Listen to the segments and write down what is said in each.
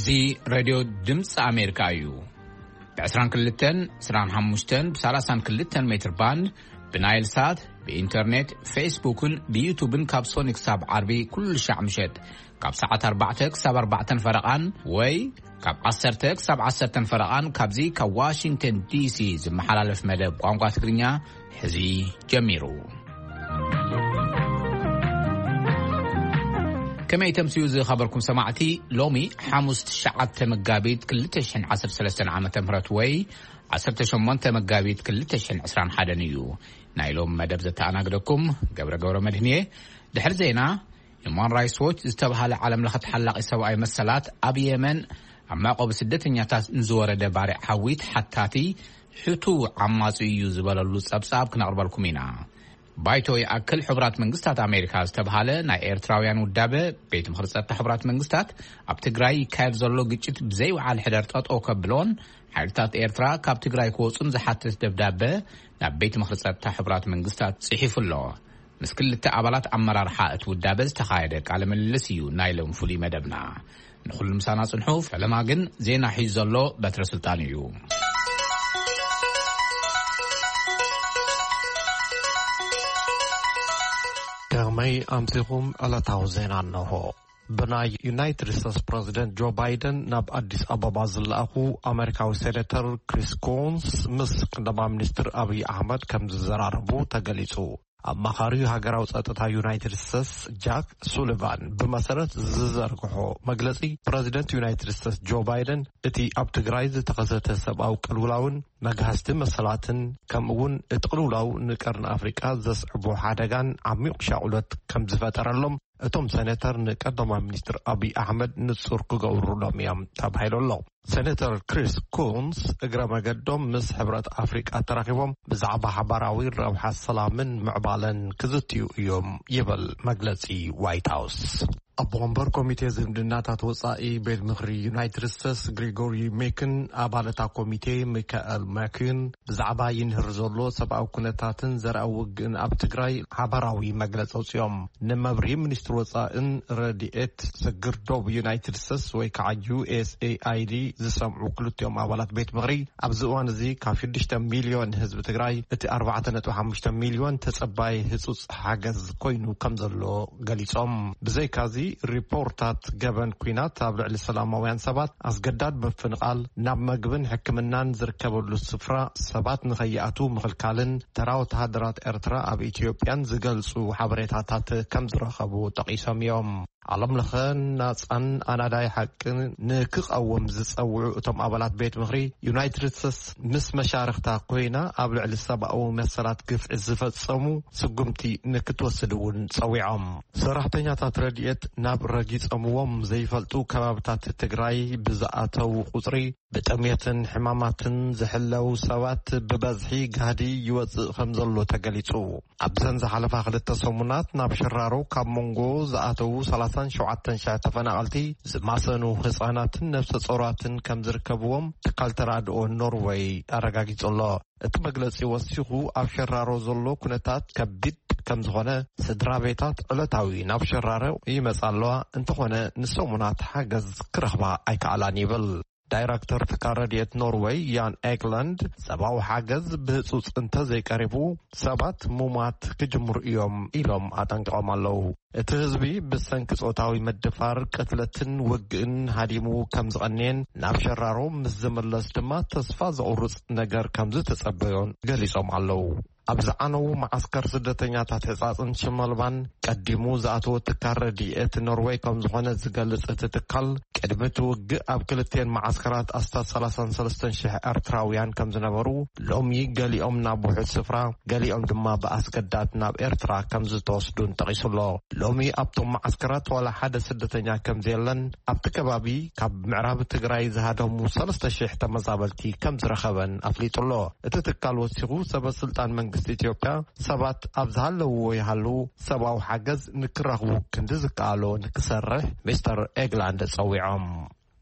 እዚ ሬድዮ ድምፂ ኣሜሪካ እዩ። ብ22፣ 25፣ ብ32 ሜትር ባንድ፣ ብናይል ሳት፣ ብኢንተርኔት፣ ፌስቡክን ብዩቱብን ካብ ሶኒ ክሳብ ዓርቢ ኩሉ ሻዕ ምሸት ካብ ሰዓት ኣርባዕተ ክሳብ ኣርባዕተን ፈረቓን ወይ ካብ ዓሰርተ ክሳብ ዓሰርተን ፈረቓን ካብዚ ካብ ዋሽንግተን ዲሲ ዝመሓላለፍ መደብ ቋንቋ ትግርኛ ሕዚ ጀሚሩ። ከመይ ተምስዩ ዝኸበርኩም ሰማዕቲ፣ ሎሚ ሓሙስ ትሽዓተ መጋቢት ክልተ ሽሕን ዓሰርተ ሰለስተን ዓመተ ምህረት ወይ ዓሰርተ ሸሞንተ መጋቢት ክልተ ሽሕን ዕስራን ሓደን እዩ። ናይ ሎም መደብ ዘተኣናግደኩም ገብረ ገብረ መድህን እየ። ድሕሪ ዜና፣ ሂማን ራይትስ ዎች ዝተብሃለ ዓለም ለኸ ተሓላቒ ሰብኣዊ መሰላት ኣብ የመን ኣብ መዕቆቢ ስደተኛታት ንዝወረደ ባርዕ ሓዊ ተሓታቲ ሕቱ ዓማጺ እዩ ዝበለሉ ጸብጻብ ክነቕርበልኩም ኢና። ባይቶ ይኣክል ሕቡራት መንግስታት ኣሜሪካ ዝተብሃለ ናይ ኤርትራውያን ውዳበ ቤት ምኽሪ ጸጥታ ሕቡራት መንግስታት ኣብ ትግራይ ይካየድ ዘሎ ግጭት ብዘይወዓል ሕደር ጠጠው ከብሎን ሓይልታት ኤርትራ ካብ ትግራይ ክወጹን ዝሓትት ደብዳበ ናብ ቤት ምኽሪ ጸጥታ ሕቡራት መንግስታት ጽሒፉ ኣሎ። ምስ ክልተ ኣባላት ኣመራርሓ እቲ ውዳበ ዝተኻየደ ቃለ ምልልስ እዩ ናይ ሎም ፍሉይ መደብና። ንኹሉ ምሳና ጽንሑ። ፈለማ ግን ዜና ሒዙ ዘሎ በትረ ስልጣን እዩ። ከመይ ኣምሲኹም? ዕለታዊ ዜና እንሆ። ብናይ ዩናይትድ ስቴትስ ፕረዚደንት ጆ ባይደን ናብ ኣዲስ ኣበባ ዝለኣኹ ኣሜሪካዊ ሴኔተር ክሪስ ኮንስ ምስ ቀዳማይ ሚኒስትር ኣብይ ኣሕመድ ከም ዝዘራረቡ ተገሊጹ። ኣማኻሪ ሃገራዊ ጸጥታ ዩናይትድ ስቴትስ ጃክ ሱሊቫን ብመሰረት ዝዘርግሖ መግለጺ፣ ፕረዚደንት ዩናይትድ ስቴትስ ጆ ባይደን እቲ ኣብ ትግራይ ዝተኸሰተ ሰብኣዊ ቅልውላውን መግሃስቲ መሰላትን፣ ከምኡ እውን እቲ ቅልውላው ንቀርኒ ኣፍሪቃ ዘስዕቦ ሓደጋን ዓሚቕ ሻቑሎት ከም ዝፈጠረሎም እቶም ሴኔተር ንቀዳማይ ሚኒስትር ኣብይ ኣሕመድ ንጹር ክገብሩሎም እዮም ተባሂሉ ኣሎ። ሴኔተር ክሪስ ኩንስ እግረ መገዶም ምስ ሕብረት ኣፍሪቃ ተራኺቦም ብዛዕባ ሓባራዊ ረብሓ ሰላምን ምዕባለን ክዝትዩ እዮም ይብል መግለጺ ዋይት ሃውስ። ኣቦ ወንበር ኮሚቴ ዝምድናታት ወጻኢ ቤት ምኽሪ ዩናይትድ ስቴትስ ግሪጎሪ ሜክን ኣባል እታ ኮሚቴ ሚካኤል ማኪን ብዛዕባ ይንህር ዘሎ ሰብኣዊ ኩነታትን ዘርኣዊ ውግእን ኣብ ትግራይ ሓባራዊ መግለጺ ኣውጺኦም። ንመብርሂ ሚኒስትሪ ወጻእን ረድኤት ስግር ዶብ ዩናይትድ ስቴትስ ወይ ከዓ ዩ ኤስ ኤ ኣይ ዲ ዝሰምዑ ክልቲኦም ኣባላት ቤት ምኽሪ ኣብዚ እዋን እዚ ካብ ሽዱሽተ ሚልዮን ህዝቢ ትግራይ እቲ ኣርባዕተ ነጥቢ ሓሙሽተ ሚልዮን ተጸባይ ህጹጽ ሓገዝ ኮይኑ ከም ዘሎ ገሊጾም። ብዘይካዚ ሪፖርታት ገበን ኲናት ኣብ ልዕሊ ሰላማውያን ሰባት ኣስገዳድ ምፍንቓል፣ ናብ መግብን ሕክምናን ዝርከበሉ ስፍራ ሰባት ንኸይኣትዉ ምኽልካልን ተራ ወተሃደራት ኤርትራ ኣብ ኢትዮጵያን ዝገልጹ ሓበሬታታት ከም ዝረኸቡ ጠቒሶም እዮም። ዓለም ለኸ ናጻን ኣናዳይ ሓቅን ንክቐውም ዝጸውዑ እቶም ኣባላት ቤት ምኽሪ፣ ዩናይትድ ስቴትስ ምስ መሻርኽታ ኮይና ኣብ ልዕሊ ሰብኣዊ መሰላት ግፍዒ ዝፈጸሙ ስጉምቲ ንክትወስድ እውን ጸዊዖም። ሰራሕተኛታት ረድኤት ናብ ረጊጸምዎም ዘይፈልጡ ከባብታት ትግራይ ብዝኣተዉ ቁጽሪ ብጥሜትን ሕማማትን ዝሕለው ሰባት ብበዝሒ ጋህዲ ይወጽእ ከም ዘሎ ተገሊጹ። ኣብዘን ዝሓለፋ ክልተ ሰሙናት ናብ ሸራሮ ካብ መንጎ ዝኣተዉ ሰላሳን ሸውዓተን ሽሕ ተፈናቐልቲ ዝማሰኑ ህጻናትን ነፍሰ ጾራትን ከም ዝርከብዎም ትካል ተራድኦ ኖርወይ ኣረጋጊጹ ኣሎ። እቲ መግለጺ ወሲኹ ኣብ ሸራሮ ዘሎ ኩነታት ከቢድ ከም ዝኾነ፣ ስድራ ቤታት ዕለታዊ ናብ ሸራሮ ይመጻ ኣለዋ፣ እንተኾነ ንሰሙናት ሓገዝ ክረኽባ ኣይከኣላን ይብል። ዳይረክተር ትካል ረድኤት ኖርወይ ያን ኤግላንድ፣ ሰብኣዊ ሓገዝ ብህጹጽ እንተዘይቀሪቡ ሰባት ሙማት ክጅምሩ እዮም ኢሎም ኣጠንቂቖም ኣለዉ። እቲ ህዝቢ ብሰንኪ ጾታዊ ምድፋር፣ ቅትለትን ውግእን ሃዲሙ ከም ዝቐንየን ናብ ሸራሮ ምስ ዝምለስ ድማ ተስፋ ዘቑርጽ ነገር ከም ዝተጸበዮን ገሊጾም ኣለዉ። ኣብ ዝዓነዉ መዓስከር ስደተኛታት ሕጻጽን ሽመልባን ቀዲሙ ዝኣተወ ትካል ረድኤት ኖርወይ ከም ዝኾነ ዝገልጽ እቲ ትካል፣ ቅድሚ እቲ ውግእ ኣብ ክልቲኤን መዓስከራት ኣስታት ሰላሳን ሰለስተን ሽሕ ኤርትራውያን ከም ዝነበሩ፣ ሎሚ ገሊኦም ናብ ውሑድ ስፍራ፣ ገሊኦም ድማ ብኣስገዳድ ናብ ኤርትራ ከም ዝተወስዱን ጠቒሱ ኣሎ። ሎሚ ኣብቶም መዓስከራት ዋላ ሓደ ስደተኛ ከም ዘየለን፣ ኣብቲ ከባቢ ካብ ምዕራብ ትግራይ ዝሃደሙ ሰለስተ ሽሕ ተመዛበልቲ ከም ዝረኸበን ኣፍሊጡ ኣሎ። እቲ ትካል ወሲኹ፣ ሰበ ስልጣን መንግስቲ ኢትዮጵያ ሰባት ኣብ ዝሃለውዎ ይሃልዉ ሰብኣዊ ሓገዝ ንክረኽቡ ክንዲ ዝከኣሎ ንክሰርሕ ሚስተር ኤግላንድ ጸዊዖም።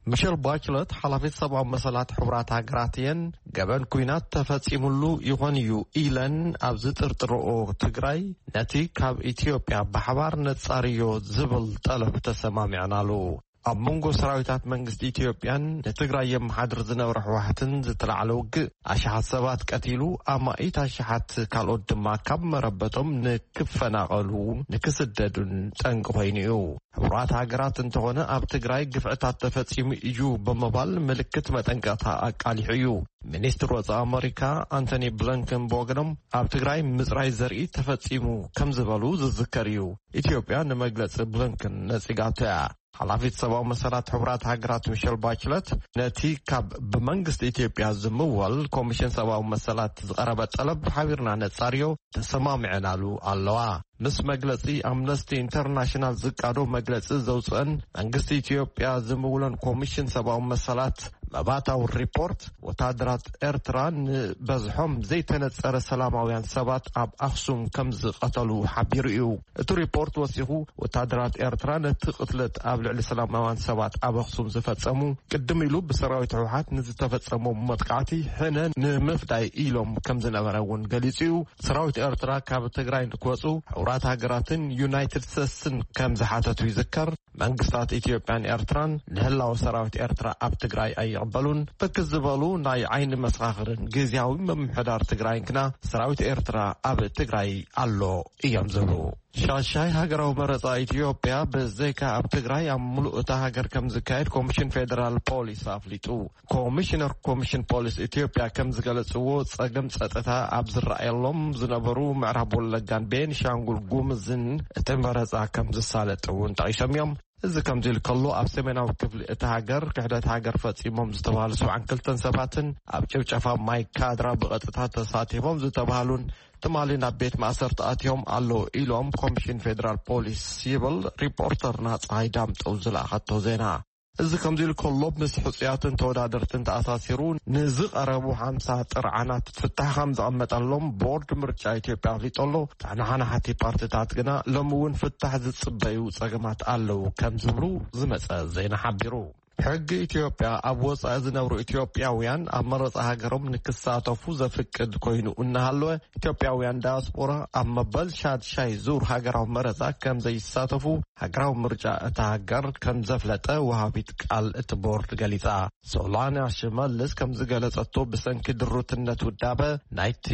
ሚሸል ባችለት ሓላፊት ሰብኣዊ መሰላት ሕቡራት ሃገራት እየን። ገበን ኲናት ተፈጺሙሉ ይኾን እዩ ኢለን ኣብ ዝጥርጥርኦ ትግራይ ነቲ ካብ ኢትዮጵያ ብሓባር ነጻርዮ ዝብል ጠለብ ተሰማሚዐናሉ። ኣብ መንጎ ሰራዊታት መንግስቲ ኢትዮጵያን ንትግራይ የመሓድር ዝነበረ ህወሓትን ዝተላዕለ ውግእ ኣሽሓት ሰባት ቀቲሉ፣ ኣማኢት ኣሽሓት ካልኦት ድማ ካብ መረበቶም ንክፈናቐሉ፣ ንክስደዱን ጠንቂ ኮይኑ እዩ። ሕቡራት ሃገራት እንተኾነ ኣብ ትግራይ ግፍዕታት ተፈጺሙ እዩ ብምባል ምልክት መጠንቀቕታ ኣቃሊሑ እዩ። ሚኒስትር ወጻኢ ኣመሪካ ኣንቶኒ ብሊንከን ብወገኖም ኣብ ትግራይ ምጽራይ ዘርኢ ተፈጺሙ ከም ዝበሉ ዝዝከር እዩ። ኢትዮጵያ ንመግለጺ ብሊንከን ነጺጋቶ እያ። ሓላፊት ሰብኣዊ መሰላት ሕቡራት ሃገራት ሚሸል ባችለት ነቲ ካብ ብመንግስቲ ኢትዮጵያ ዝምወል ኮሚሽን ሰብኣዊ መሰላት ዝቐረበ ጠለብ ሓቢርና ነጻርዮ፣ ተሰማሚዐናሉ ኣለዋ። ምስ መግለጺ ኣምነስቲ ኢንተርናሽናል ዝቃዶ መግለጺ ዘውፅአን መንግስቲ ኢትዮጵያ ዝምውለን ኮሚሽን ሰብኣዊ መሰላት መባታዊ ሪፖርት፣ ወታደራት ኤርትራ ንበዝሖም ዘይተነጸረ ሰላማውያን ሰባት ኣብ ኣኽሱም ከም ዝቐተሉ ሓቢሩ እዩ። እቲ ሪፖርት ወሲኹ፣ ወታደራት ኤርትራ ነቲ ቅትለት ኣብ ልዕሊ ሰላማውያን ሰባት ኣብ ኣኽሱም ዝፈጸሙ፣ ቅድም ኢሉ ብሰራዊት ህወሓት ንዝተፈጸሞም መጥቃዕቲ ሕነ ንምፍዳይ ኢሎም ከም ዝነበረ እውን ገሊጹ እዩ። ሰራዊት ኤርትራ ካብ ትግራይ ንክወጹ ሕቡራት ሃገራትን ዩናይትድ ስቴትስን ከም ዝሓተቱ ይዝከር። መንግስታት ኢትዮጵያን ኤርትራን ንህላወ ሰራዊት ኤርትራ ኣብ ትግራይ ኣይቕበሉን። ብርክት ዝበሉ ናይ ዓይኒ መሰኻኽርን ግዝያዊ ምምሕዳር ትግራይን ግና ሰራዊት ኤርትራ ኣብ ትግራይ ኣሎ እዮም ዝብሉ። ሻሻይ ሃገራዊ መረጻ ኢትዮጵያ ብዘይካ ኣብ ትግራይ ኣብ ሙሉእ እታ ሃገር ከም ዝካየድ ኮሚሽን ፌደራል ፖሊስ ኣፍሊጡ። ኮሚሽነር ኮሚሽን ፖሊስ ኢትዮጵያ ከም ዝገለጽዎ፣ ጸገም ጸጥታ ኣብ ዝረኣየሎም ዝነበሩ ምዕራብ ወለጋን ቤንሻንጉል ጉምዝን እቲ መረጻ ከም ዝሳለጥ እውን ጠቒሶም እዮም። እዚ ከምዚ ኢሉ ከሎ፣ ኣብ ሰሜናዊ ክፍሊ እታ ሃገር ክሕደት ሃገር ፈጺሞም ዝተባሃሉ ሰብዓን ክልተን ሰባትን ኣብ ጭፍጨፋ ማይ ካድራ ብቐጥታ ተሳቲፎም ዝተባሃሉን ትማሊ ናብ ቤት ማእሰርቲ ኣትዮም ኣለዉ ኢሎም ኮሚሽን ፌደራል ፖሊስ ይብል ሪፖርተርና ጸሃይ ዳምጠው ዝለኣኸቶ ዜና። እዚ ከምዚ ኢሉ ከሎ፣ ምስ ሕጹያትን ተወዳደርትን ተኣሳሲሩ ንዝቐረቡ ሓምሳ ጥርዓናት ፍታሕ ከም ዘቐመጠሎም ቦርድ ምርጫ ኢትዮጵያ ኣፍሊጡ ኣሎ። ተሓናሓናሓቲ ፓርቲታት ግና ሎሚ እውን ፍታሕ ዝጽበዩ ጸገማት ኣለዉ ከም ዝብሉ ዝመጸ ዜና ሓቢሩ። ሕጊ ኢትዮጵያ ኣብ ወጻኢ ዝነብሩ ኢትዮጵያውያን ኣብ መረጻ ሃገሮም ንክሳተፉ ዘፍቅድ ኮይኑ እናሃለወ፣ ኢትዮጵያውያን ዳያስፖራ ኣብ መበል ሻድሻይ ዙር ሃገራዊ መረጻ ከም ዘይሳተፉ ሃገራዊ ምርጫ እታ ሃገር ከም ዘፍለጠ ወሃቢት ቃል እቲ ቦርድ ገሊጻ። ሶላንያ ሽመልስ ከም ዝገለጸቶ፣ ብሰንኪ ድሩትነት ውዳበ ናይቲ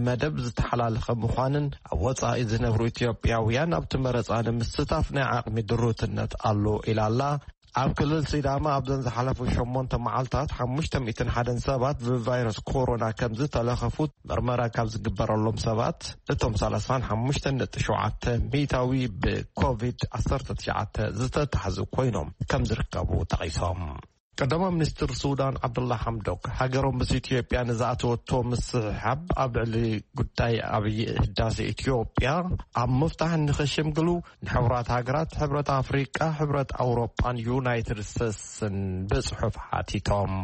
መደብ ዝተሓላለኸ ምዃንን ኣብ ወጻኢ ዝነብሩ ኢትዮጵያውያን ኣብቲ መረጻ ንምስታፍ ናይ ዓቕሚ ድሩትነት ኣሎ ኢላ ኣላ። ኣብ ክልል ሲዳማ ኣብዘን ዝሓለፉ ሸሞንተ መዓልታት ሓሙሽተ ሚእትን ሓደን ሰባት ብቫይረስ ኮሮና ከም ዝተለኸፉ፣ ምርመራ ካብ ዝግበረሎም ሰባት እቶም ሰላሳን ሓሙሽተን ነጥቢ ሸውዓተ ሚእታዊ ብኮቪድ ዓሰርተ ትሽዓተ ዝተታሕዙ ኮይኖም ከም ዝርከቡ ጠቒሶም። ቀዳማይ ሚኒስትር ሱዳን ዓብደላ ሓምዶክ፣ ሃገሮም ምስ ኢትዮጵያ ንዝኣተወቶ ምስሕሓብ ኣብ ልዕሊ ጉዳይ ዓብዪ ህዳሴ ኢትዮጵያ ኣብ ምፍታሕ ንኸሸምግሉ ንሕቡራት ሃገራት፣ ሕብረት ኣፍሪቃ፣ ሕብረት ኣውሮጳን ዩናይትድ ስቴትስን ብጽሑፍ ሓቲቶም።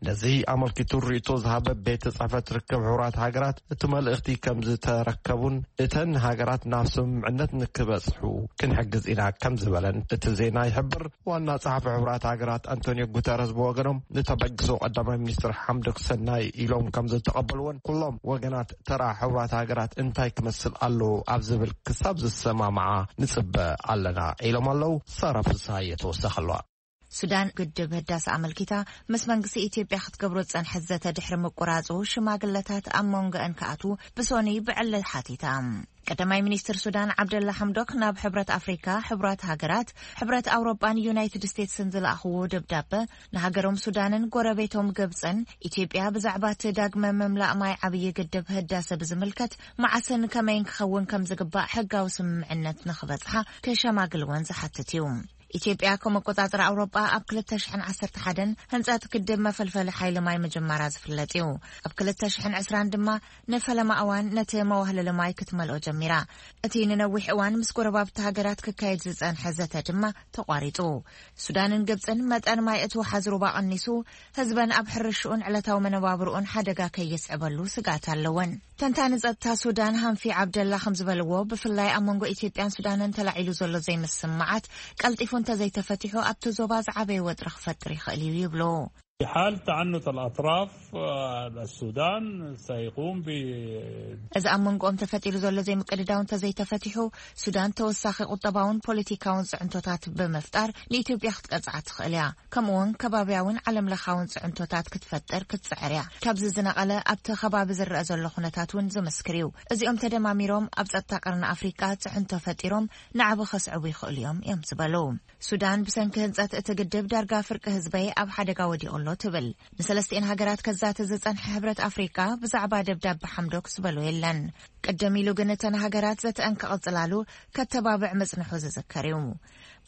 ነዚ ኣመልኪቱ ርእይቶ ዝሃበ ቤት ጽሕፈት ርክብ ሕቡራት ሃገራት፣ እቲ መልእኽቲ ከም ዝተረከቡን እተን ሃገራት ናብ ስምምዕነት ንክበጽሑ ክንሕግዝ ኢና ከም ዝበለን እቲ ዜና ይሕብር። ዋና ጸሓፊ ሕቡራት ሃገራት ኣንቶኒዮ ጉተረስ ብወገኖም፣ ንተበግሶ ቀዳማይ ሚኒስትር ሓምዶክ ሰናይ ኢሎም ከም ዝተቐበልዎን፣ ኩሎም ወገናት ተራ ሕቡራት ሃገራት እንታይ ክመስል ኣለዎ ኣብ ዝብል ክሳብ ዝሰማማዓ ንጽበ ኣለና ኢሎም ኣለዉ። ሳራ ፍስሃየ ተወሰኸ ኣለዋ። ሱዳን ግድብ ህዳሰ ኣመልኪታ ምስ መንግስቲ ኢትዮጵያ ክትገብሮ ዝጸንሐት ዘተ ድሕሪ ምቁራጹ፣ ሽማግለታት ኣብ መንጎአን ክኣትዉ ብሶኒ ብዕሊ ሓቲታ። ቀዳማይ ሚኒስትር ሱዳን ዓብደላ ሓምዶክ ናብ ሕብረት ኣፍሪካ፣ ሕቡራት ሃገራት፣ ሕብረት ኣውሮጳን ዩናይትድ ስቴትስን ዝለኣኽዎ ደብዳበ፣ ንሃገሮም ሱዳንን ጎረቤቶም ግብጽን ኢትዮጵያ ብዛዕባ እቲ ዳግመ ምምላእ ማይ ዓብዪ ግድብ ህዳሰ ብዝምልከት መዓስን ከመይን ክኸውን ከም ዝግባእ ሕጋዊ ስምምዕነት ንኽበጽሓ ክሸማግልወን ዝሓትት እዩ። ኢትዮጵያ ከም ኣቆጻጽራ ኣውሮጳ ኣብ ክልተ ሽሕን ዓሰርተ ሓደን ህንጸት ግድብ መፈልፈሊ ሓይሊ ማይ ምጅማራ ዝፍለጥ እዩ። ኣብ ክልተ ሽሕን ዕስራን ድማ ንፈለማ እዋን ነቲ መዋህለሊ ማይ ክትመልኦ ጀሚራ። እቲ ንነዊሕ እዋን ምስ ጎረባብቲ ሃገራት ክካየድ ዝጸንሐ ዘተ ድማ ተቋሪጹ። ሱዳንን ግብጽን መጠን ማይ እቲ ወሓዚ ሩባ ቀኒሱ፣ ህዝበን ኣብ ሕርሽኡን ዕለታዊ መነባብርኡን ሓደጋ ከየስዕበሉ ስግኣት ኣለወን። ተንታኒ ጸጥታ ሱዳን ሃንፊ ዓብደላ ከም ዝበልዎ፣ ብፍላይ ኣብ መንጎ ኢትዮጵያን ሱዳንን ተላዒሉ ዘሎ ዘይምስምማዓት ቀልጢፉ እንተዘይተፈቲሑ፣ ኣብቲ ዞባ ዝዓበየ ወጥሪ ክፈጥር ይኽእል እዩ ይብሉ። حال تعنت الأطراف، السودان سيقوم ب- እዚ ኣብ መንጎኦም ተፈጢሩ ዘሎ ዘይምቅድዳው እንተዘይተፈቲሑ፣ ሱዳን ተወሳኺ ቁጠባውን ፖለቲካውን ጽዕንቶታት ብምፍጣር ንኢትዮጵያ ክትቀጽዓ ትኽእል እያ። ከምኡውን ከባብያውን ዓለም ለኻውን ጽዕንቶታት ክትፈጥር ክትጽዕር እያ። ካብዚ ዝነቐለ ኣብቲ ከባቢ ዝረኣ ዘሎ ኩነታት እውን ዝምስክር እዩ። እዚኦም ተደማሚሮም ኣብ ጸጥታ ቀርኒ ኣፍሪቃ ጽዕንቶ ፈጢሮም ንዓቢ ከስዕቡ ይኽእሉ እዮም እዮም ዝበሉ። ሱዳን ብሰንኪ ህንጸት እቲ ግድብ ዳርጋ ፍርቂ ህዝበይ ኣብ ሓደጋ ወዲቑ ኣሎ ትብል። ንሰለስቲኤን ሃገራት ከዛተ ዝጸንሐ ሕብረት ኣፍሪቃ ብዛዕባ ደብዳብ ሓምዶክ ዝበሎ የለን። ቅድም ኢሉ ግን እተን ሃገራት ዘተአን ክቕጽላሉ ከተባብዕ ምጽንሑ ዝዝከር እዩ።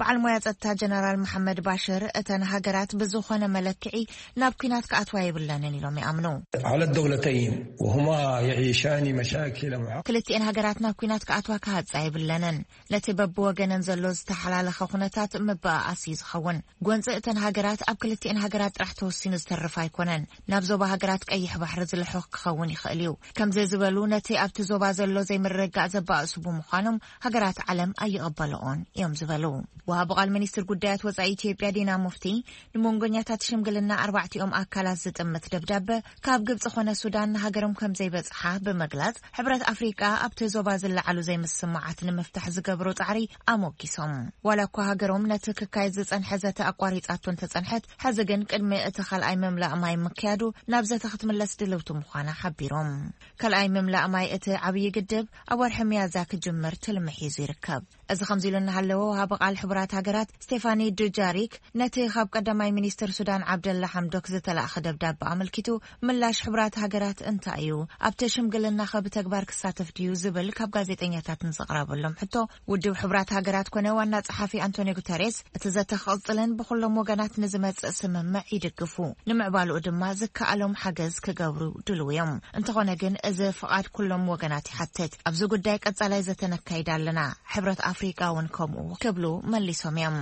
በዓል ሞያ ጸጥታ ጀነራል መሓመድ ባሽር እተን ሃገራት ብዝኾነ መለክዒ ናብ ኲናት ክኣትዋ የብለንን ኢሎም ይኣምኑ። على الدولتين وهما يعيشان مشاكل معقدة. ክልቲኤን ሃገራት ናብ ኲናት ክኣትዋ ክሃጻ የብለንን። ነቲ በብወገነን ዘሎ ዝተሓላለኸ ኩነታት ምብኣኣስ እዩ ዝኸውን። ጎንፂ እተን ሃገራት ኣብ ክልቲኤን ሃገራት ጥራሕ ተወሲኑ ዝተርፍ ኣይኮነን። ናብ ዞባ ሃገራት ቀይሕ ባሕሪ ዝልሑኽ ክኸውን ይኽእል እዩ። ከምዚ ዝበሉ ነቲ ኣብቲ ዞባ ዘሎ ዘይምርግጋእ ዘባእሱ ብምዃኖም ሃገራት ዓለም ኣይቕበልኦን እዮም ዝበሉ። ወሃቢ ቃል ሚኒስትር ጉዳያት ወፃኢ ኢትዮጵያ ዲና ሙፍቲ ንመንጎኛታት ሽምግልና ኣርባዕቲኦም ኣካላት ዝጥምት ደብዳበ ካብ ግብፂ ኮነ ሱዳን ንሃገሮም ከም ዘይበፅሓ ብምግላፅ፣ ሕብረት ኣፍሪቃ ኣብቲ ዞባ ዝለዓሉ ዘይምስምማዓት ንምፍታሕ ዝገብሮ ፃዕሪ ኣሞጊሶም። ዋላ እኳ ሃገሮም ነቲ ክካየድ ዝፀንሐ ዘተ ኣቋሪፃቶ እንተፀንሐት፣ ሕዚ ግን ቅድሚ እቲ ካልኣይ ምምላእ ማይ ምክያዱ ናብ ዘተ ክትምለስ ድልውቲ ምዃና ሓቢሮም። ካልኣይ ምምላእ ማይ እቲ ዓብዪ ግድብ ኣብ ወርሒ ሚያዝያ ክጅምር ትልሚ ሒዙ ይርከብ። እዚ ከምዚ ኢሉ እናሃለወ፣ ወሃቢ ቃል ሕቡራት ሃገራት ስቴፋኒ ዱጃሪክ ነቲ ካብ ቀዳማይ ሚኒስትር ሱዳን ዓብደላ ሓምዶክ ዝተላእኸ ደብዳበ ኣመልኪቱ፣ ምላሽ ሕቡራት ሃገራት እንታይ እዩ? ኣብቲ ሽምግልና ከ ብተግባር ክሳተፍ ድዩ? ዝብል ካብ ጋዜጠኛታት ንዝቕረበሎም ሕቶ፣ ውድብ ሕቡራት ሃገራት ኮነ ዋና ጸሓፊ ኣንቶኒዮ ጉተሬስ እቲ ዘተ ክቕጽልን ብኹሎም ወገናት ንዝመጽእ ስምምዕ ይድግፉ፣ ንምዕባልኡ ድማ ዝከኣሎም ሓገዝ ክገብሩ ድልው እዮም። እንተኾነ ግን እዚ ፍቓድ ኩሎም ወገናት ይሓትት። ኣብዚ ጉዳይ ቀጻላይ ዘተ ነካይድ ኣለና። ሕብረት ኣፍሪቃ እውን ከምኡ ክብሉ መሊሶም እዮም።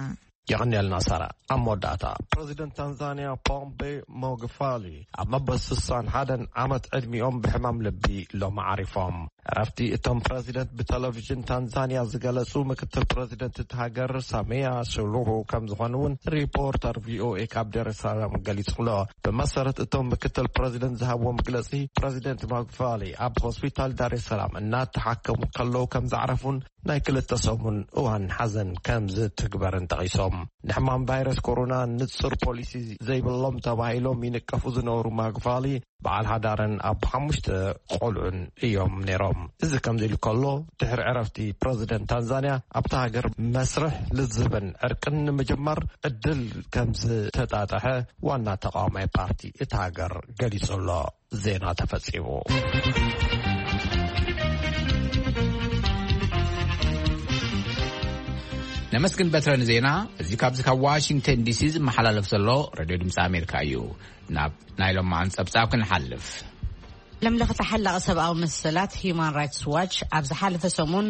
የቐንየልና ሳራ። ኣብ መወዳእታ ፕረዚደንት ታንዛንያ ፖምቤ ሞግፋሊ ኣብ መበል ስሳን ሓደን ዓመት ዕድሚኦም ብሕማም ልቢ ሎም ዓሪፎም። ዕረፍቲ እቶም ፕረዚደንት ብቴሌቪዥን ታንዛንያ ዝገለጹ ምክትል ፕረዚደንት እቲ ሃገር ሳሜያ ሱሉሁ ከም ዝኾኑ እውን ሪፖርተር ቪኦኤ ካብ ደረሳላም ገሊጹ ኣሎ። ብመሰረት እቶም ምክትል ፕረዚደንት ዝሃብዎ መግለጺ፣ ፕረዚደንት ሞግፋሊ ኣብ ሆስፒታል ዳሬሰላም እናተሓከሙ ከለዉ ከም ዘዕረፉን ናይ ክልተ ሰሙን እዋን ሓዘን ከም ዝትግበርን ጠቒሶም። ንሕማም ቫይረስ ኮሮና ንጹር ፖሊሲ ዘይብሎም ተባሂሎም ይንቀፉ ዝነበሩ ማግፋሊ በዓል ሓዳርን ኣብ ሓሙሽተ ቆልዑን እዮም ነይሮም። እዚ ከምዚ ኢሉ ከሎ፣ ድሕሪ ዕረፍቲ ፕረዚደንት ታንዛንያ ኣብታ ሃገር መስርሕ ልዝብን ዕርቅን ንምጅማር ዕድል ከም ዝተጣጠሐ ዋና ተቃዋማይ ፓርቲ እታ ሃገር ገሊጹ ኣሎ። ዜና ተፈጺሙ። ነመስግን በትረ ንዜና። እዚ ካብዚ ካብ ዋሽንግተን ዲሲ ዝመሓላለፍ ዘሎ ሬድዮ ድምፂ ኣሜሪካ እዩ። ናብ ናይ ሎማዓን ጸብጻብ ክንሓልፍ። ዓለም ለኸ ተሓላቒ ሰብኣዊ መሰላት ሂዩማን ራይትስ ዋች ኣብ ዝሓለፈ ሰሙን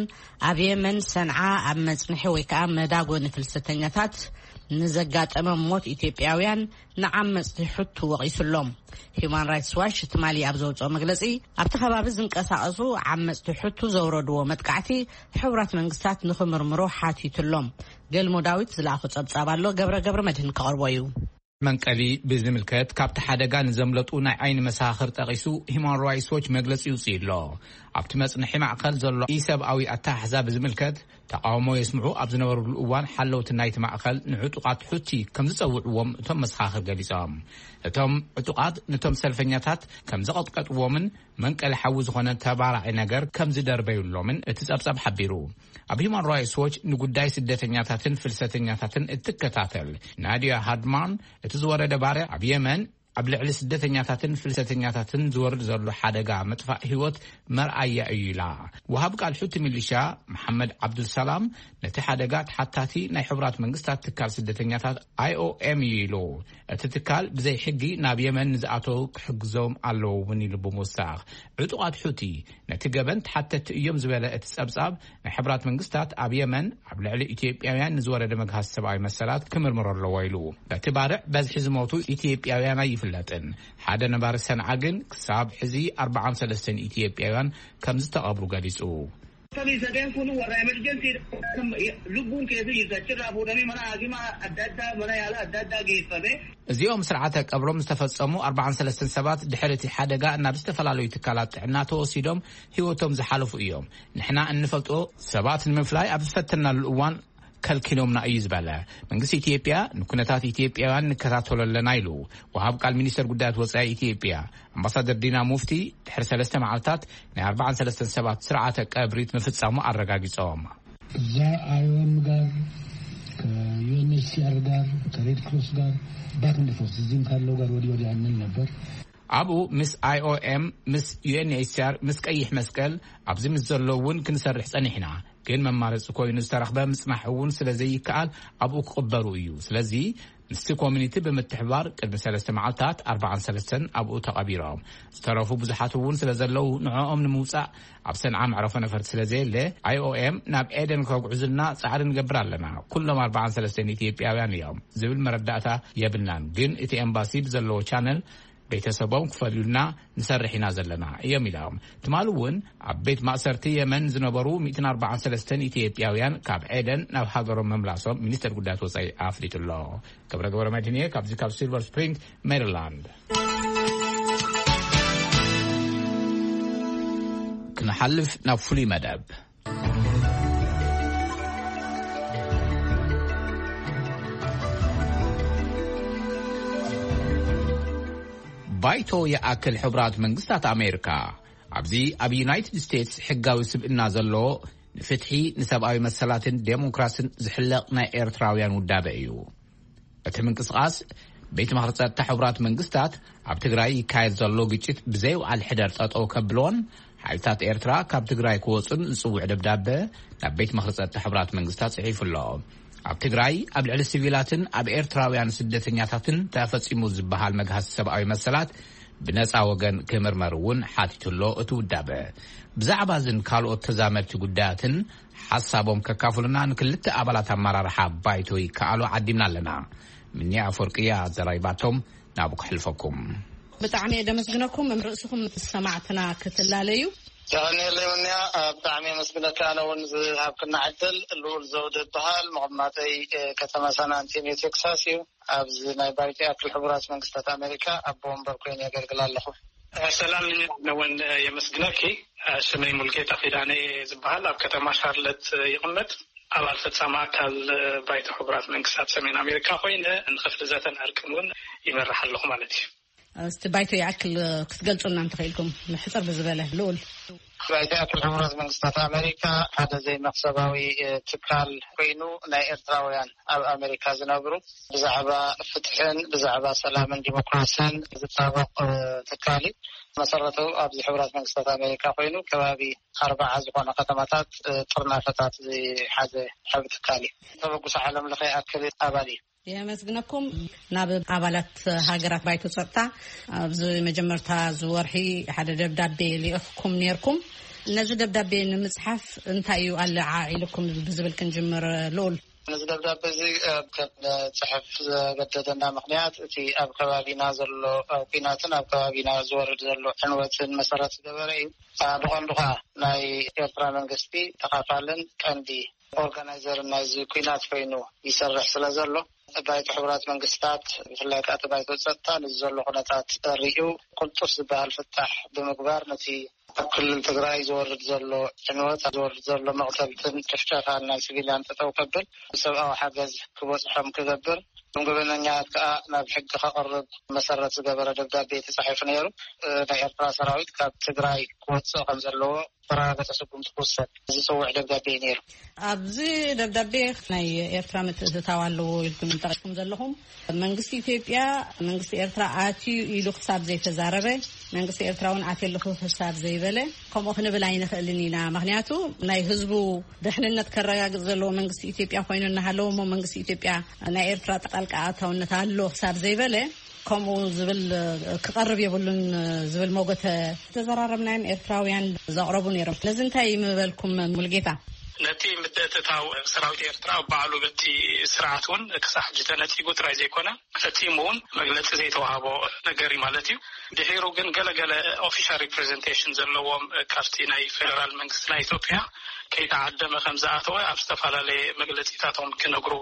ኣብ የመን ሰንዓ ኣብ መጽንሒ ወይ ከዓ መዳጎኒ ፍልሰተኛታት ንዘጋጠመ ሞት ኢትዮጵያውያን ንዓመጽቲ ሕቱ ወቒሱሎም። ሂዩማን ራይትስ ዋች ትማሊ ኣብ ዘውፅኦ መግለፂ፣ ኣብቲ ከባቢ ዝንቀሳቐሱ ዓመፅቲ ሕቱ ዘውረድዎ መጥቃዕቲ ሕቡራት መንግስታት ንኽምርምሮ ሓቲቱሎም። ገልሞ ዳዊት ዝለኣኾ ጸብጻብ ኣሎ፣ ገብረ ገብረ መድህን ከቕርቦ እዩ። መንቀሊ ብዝምልከት ካብቲ ሓደጋ ንዘምለጡ ናይ ዓይኒ መሰኻኽር ጠቒሱ ሂማን ራይትስ ዎች መግለጺ ይውጽእ ኣሎ። ኣብቲ መጽንሒ ማእከል ዘሎ ኢሰብኣዊ ኣተሓሕዛ ብዝምልከት ተቓውሞ የስምዑ ኣብ ዝነበሩሉ እዋን ሓለውቲ ናይቲ ማእከል ንዕጡቓት ሑቲ ከም ዝጸውዕዎም እቶም መሰኻኽር ገሊጾም። እቶም ዕጡቓት ነቶም ሰልፈኛታት ከም ዘቐጥቀጥዎምን መንቀሊ ሓዊ ዝኾነ ተባራዒ ነገር ከም ዝደርበዩሎምን እቲ ጸብጻብ ሓቢሩ። ኣብ ሂማን ራይትስ ዎች ንጉዳይ ስደተኛታትን ፍልሰተኛታትን እትከታተል ናዲያ ሃድማን፣ እቲ ዝወረደ ባርዕ ኣብ የመን ኣብ ልዕሊ ስደተኛታትን ፍልሰተኛታትን ዝወርድ ዘሎ ሓደጋ ምጥፋእ ህይወት መርኣያ እዩ ኢላ። ወሃብ ቃል ሑቲ ሚሊሻ መሓመድ ዓብዱልሰላም ነቲ ሓደጋ ተሓታቲ ናይ ሕቡራት መንግስታት ትካል ስደተኛታት ኣይ ኦ ኤም እዩ ኢሉ። እቲ ትካል ብዘይ ሕጊ ናብ የመን ንዝኣተው ክሕግዞም ኣለዎ እውን ኢሉ ብምውሳኽ፣ ዕጡቓት ሑቲ ነቲ ገበን ተሓተቲ እዮም ዝበለ እቲ ጸብጻብ፣ ናይ ሕቡራት መንግስታት ኣብ የመን ኣብ ልዕሊ ኢትዮጵያውያን ንዝወረደ መግሃስ ሰብኣዊ መሰላት ክምርምሮ ኣለዎ ኢሉ። በቲ ባርዕ በዝሒ ዝሞቱ ኢትዮጵያውያን ኣይፍለጥን። ሓደ ነባሪ ሰንዓ ግን ክሳብ ሕዚ ኣርባዓን ሰለስተን ኢትዮጵያውያን ከም ዝተቐብሩ ገሊጹ። Sabii sadeen kun warra emergency lubbuun keessa jirtu achirraa fuudhamee mana haakimaa adda addaa, mana yaalaa adda addaa geeffame. እዚኦም ስርዓተ ቀብሮም ዝተፈጸሙ ኣርባዓን ሰለስተን ሰባት ድሕሪ እቲ ሓደጋ ናብ ዝተፈላለዩ ትካላት ጥዕና ተወሲዶም ህይወቶም ዝሓለፉ እዮም። ንሕና እንፈልጦ ሰባት ንምፍላይ ኣብ ዝፈተናሉ እዋን ከልኪሎምና እዩ ዝበለ መንግስቲ ኢትዮጵያ፣ ንኩነታት ኢትዮጵያውያን ንከታተሎ ኣለና ኢሉ። ወሃብ ቃል ሚኒስተር ጉዳያት ወጻኢ ኢትዮጵያ ኣምባሳደር ዲና ሙፍቲ ድሕሪ ሰለስተ መዓልታት ናይ ኣርባዓን ሰለስተን ሰባት ስርዓተ ቀብሪት ምፍጻሙ ኣረጋጊጾም። እዛ አይኦኤም ጋር፣ ከዩኤንኤችሲአር ጋር፣ ከሬድ ክሮስ ጋር ባክ ኤንድ ፎርስ እዚህም ካለው ጋር ወዲህ ወዲያ እንል ነበር። ኣብኡ ምስ ኣይኦኤም፣ ምስ ዩኤንኤችሲኣር፣ ምስ ቀይሕ መስቀል ኣብዚ ምስ ዘለዉ እውን ክንሰርሕ ጸኒሕና። ግን መማረፂ ኮይኑ ዝተረኽበ ምጽናሕ እውን ስለ ዘይከኣል ኣብኡ ክቕበሩ እዩ። ስለዚ ምስቲ ኮሚኒቲ ብምትሕባር ቅድሚ ሰለስተ መዓልታት ኣርባዓን ሰለስተን ኣብኡ ተቐቢሮም። ዝተረፉ ብዙሓት እውን ስለ ዘለዉ ንዕኦም ንምውጻእ ኣብ ሰንዓ መዕረፎ ነፈርቲ ስለ ዘየለ ኣይኦኤም ናብ ኤደን ከጉዕዙልና ጻዕሪ ንገብር ኣለና። ኩሎም ኣርባዓን ሰለስተን ኢትዮጵያውያን እዮም ዝብል መረዳእታ የብልናን። ግን እቲ ኤምባሲ ብዘለዎ ቻነል ቤተሰቦም ክፈልዩልና ንሰርሕ ኢና ዘለና እዮም ኢሎም። ትማሊ እውን ኣብ ቤት ማእሰርቲ የመን ዝነበሩ ሚእትን ኣርባዓን ሰለስተን ኢትዮጵያውያን ካብ ኤደን ናብ ሃገሮም መምላሶም ሚኒስተር ጉዳያት ወጻኢ ኣፍሊጡ ኣሎ። ገብረ ገብረ መድህንየ ካብዚ ካብ ሲልቨር ስፕሪንግ ሜሪላንድ። ክንሓልፍ ናብ ፍሉይ መደብ። ባይቶ ይኣክል ሕቡራት መንግስታት ኣሜሪካ ኣብዚ ኣብ ዩናይትድ ስቴትስ ሕጋዊ ስብእና ዘለዎ ንፍትሒ፣ ንሰብኣዊ መሰላትን ዴሞክራስን ዝሕለቕ ናይ ኤርትራውያን ውዳበ እዩ። እቲ ምንቅስቓስ ቤት ምኽሪ ጸጥታ ሕቡራት መንግስታት ኣብ ትግራይ ይካየድ ዘሎ ግጭት ብዘይውዓል ሕደር ጠጠው ከብልዎን ሓይልታት ኤርትራ ካብ ትግራይ ክወጹን ዝጽውዕ ደብዳበ ናብ ቤት ምኽሪ ጸጥታ ሕቡራት መንግስታት ጽሒፉ ኣሎ። ኣብ ትግራይ ኣብ ልዕሊ ሲቪላትን ኣብ ኤርትራውያን ስደተኛታትን ተፈጺሙ ዝበሃል መግሃሲ ሰብኣዊ መሰላት ብነጻ ወገን ክምርመር እውን ሓቲቱ ኣሎ። እቲ ውዳበ ብዛዕባ እዝን ካልኦት ተዛመድቲ ጉዳያትን ሓሳቦም ከካፍሉና ንክልተ ኣባላት ኣመራርሓ ባይቶ ይከኣሉ ዓዲምና ኣለና። ምንያ ኣፈወርቅያ ኣዘራሪባቶም ናብኡ ከሕልፈኩም። ብጣዕሚ እየ ደመስግነኩም ርእስኹም ምስ ሰማዕትና ክትላለዩ። የቐንየለይ ምንያ፣ ብጣዕሚ የመስግነካ። ኣነ እውን ዝሃብክና ዕድል። ልኡል ዘውደ እበሃል። መቐማጠይ ከተማ ሳን ኣንቶኒዮ ቴክሳስ እዩ። ኣብዚ ናይ ባይቶ ይኣክል ሕቡራት መንግስታት ኣሜሪካ ኣቦ ወንበር ኮይኑ የገልግል ኣለኹ። ሰላም፣ ንውን የመስግነኪ። ሽመይ ሙልጌታ ኪዳነ ዝበሃል፣ ኣብ ከተማ ሻርለት ይቕመጥ። ኣባል ፈጻሚ ኣካል ባይቶ ሕቡራት መንግስታት ሰሜን ኣሜሪካ ኮይነ ንክፍሊ ዘተን ዕርቅን እውን ይመርሕ ኣለኹ ማለት እዩ። እስቲ ባይቶ ይኣክል ክትገልጹልና እንተኽኢልኩም፣ ሕጽር ብዝበለ ልኡል። ባይቶ ይኣክል ሕቡራት መንግስታት ኣሜሪካ ሓደ ዘይመኽሰባዊ ትካል ኮይኑ፣ ናይ ኤርትራውያን ኣብ ኣሜሪካ ዝነብሩ ብዛዕባ ፍትሕን ብዛዕባ ሰላምን ዲሞክራስን ዝጣበቕ ትካል እዩ። መሰረቱ ኣብዚ ሕቡራት መንግስታት ኣሜሪካ ኮይኑ፣ ከባቢ ኣርባዓ ዝኾነ ከተማታት ጥርናፈታት ዝሓዘ ዓቢ ትካል እዩ። ተበግሶ ዓለም ለኸ ይኣክል ኣባል እዩ። የመስግነኩም። ናብ ኣባላት ሃገራት ባይቶ ጸጥታ ኣብዚ መጀመርታ ዝወርሒ ሓደ ደብዳቤ ልኢኽኩም ነርኩም። ነዚ ደብዳቤ ንምጽሓፍ እንታይ እዩ ኣለዓዒልኩም ብዝብል ክንጅምር። ልኡል። ነዚ ደብዳቤ እዚ ከም ጽሕፍ ዘገደደና ምኽንያት፣ እቲ ኣብ ከባቢና ዘሎ ኲናትን ኣብ ከባቢና ዝወርድ ዘሎ ዕንወትን መሰረት ዝገበረ እዩ። ብቐንዱ ኸኣ ናይ ኤርትራ መንግስቲ ተኻፋልን ቀንዲ ኦርጋናይዘርን ናይዚ ኲናት ኮይኑ ይሰርሕ ስለ ዘሎ፣ ባይቶ ሕቡራት መንግስታት፣ ብፍላይ ከኣ እቲ ባይቶ ጸጥታ፣ ነዚ ዘሎ ኩነታት ርእዩ፣ ቅልጡፍ ዝበሃል ፍታሕ ብምግባር፣ ነቲ ኣብ ክልል ትግራይ ዝወርድ ዘሎ ዕንወት፣ ዝወርድ ዘሎ መቕተልትን ጭፍጨፋን ናይ ሲቪልያን ጠጠው ከብል፣ ሰብኣዊ ሓገዝ ክበጽሖም ክገብር፣ ገበነኛታት ከኣ ናብ ሕጊ ከቕርብ መሰረት ዝገበረ ደብዳቤ ተጻሒፉ ነይሩ። ናይ ኤርትራ ሰራዊት ካብ ትግራይ ክወጽእ ከም ዘለዎ ዝተረጋገጸ ስጉምቲ ክውሰድ ዝጽውዕ ደብዳቤ እዩ ነይሩ። ኣብዚ ደብዳቤ ናይ ኤርትራ ምትእትታው ኣለዎ ኢልኩም ጠቒስኩም ዘለኹም፣ መንግስቲ ኢትዮጵያ መንግስቲ ኤርትራ ኣትዩ ኢሉ ክሳብ ዘይተዛረበ፣ መንግስቲ ኤርትራ እውን ኣትየ ኣለኹ ክሳብ ዘይበለ፣ ከምኡ ክንብል ኣይንኽእልን ኢና። ምኽንያቱ ናይ ህዝቡ ድሕንነት ከረጋግጽ ዘለዎ መንግስቲ ኢትዮጵያ ኮይኑ እናሃለወ፣ እሞ መንግስቲ ኢትዮጵያ ናይ ኤርትራ ጣልቃ ኣታውነት ኣሎ ክሳብ ዘይበለ፣ ከምኡ ዝብል ክቐርብ የብሉን ዝብል መጎተ ተዘራረብናዮም ኤርትራውያን ዘቕረቡ ነይሮም። ነዚ እንታይ ምበልኩም ሙልጌታ? ነቲ ምትእትታው ሰራዊት ኤርትራ ባዕሉ በቲ ስርዓት እውን ክሳብ ሕጂ ተነጺጉ ጥራይ ዘይኮነ፣ ፈጺሙ እውን መግለጺ ዘይተዋህቦ ነገር እዩ ማለት እዩ። ድሒሩ ግን ገለገለ ኦፊሻል ሪፕሬዘንቴሽን ዘለዎም ካብቲ ናይ ፌደራል መንግስቲ ናይ ኢትዮጵያ ከይተዓደመ ከም ዝኣተወ ኣብ ዝተፈላለየ መግለጺታቶም ክነግሩ